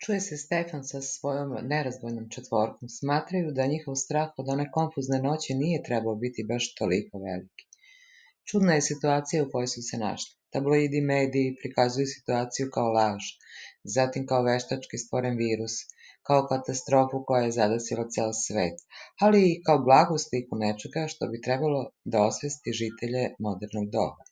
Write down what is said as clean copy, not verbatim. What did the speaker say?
Čuje se Stefan sa svojom nerazdvojnom četvorkom. Smatraju da njihov strah od one konfuzne noći nije trebao biti baš toliko veliki. Čudna je situacija u kojoj su se našli. Tabloidi mediji prikazuju situaciju kao laž, zatim kao veštački stvoren virus, kao katastrofu koja je zadesila ceo svet, ali i kao blagu sliku nečega što bi trebalo da osvesti žitelje modernog doba.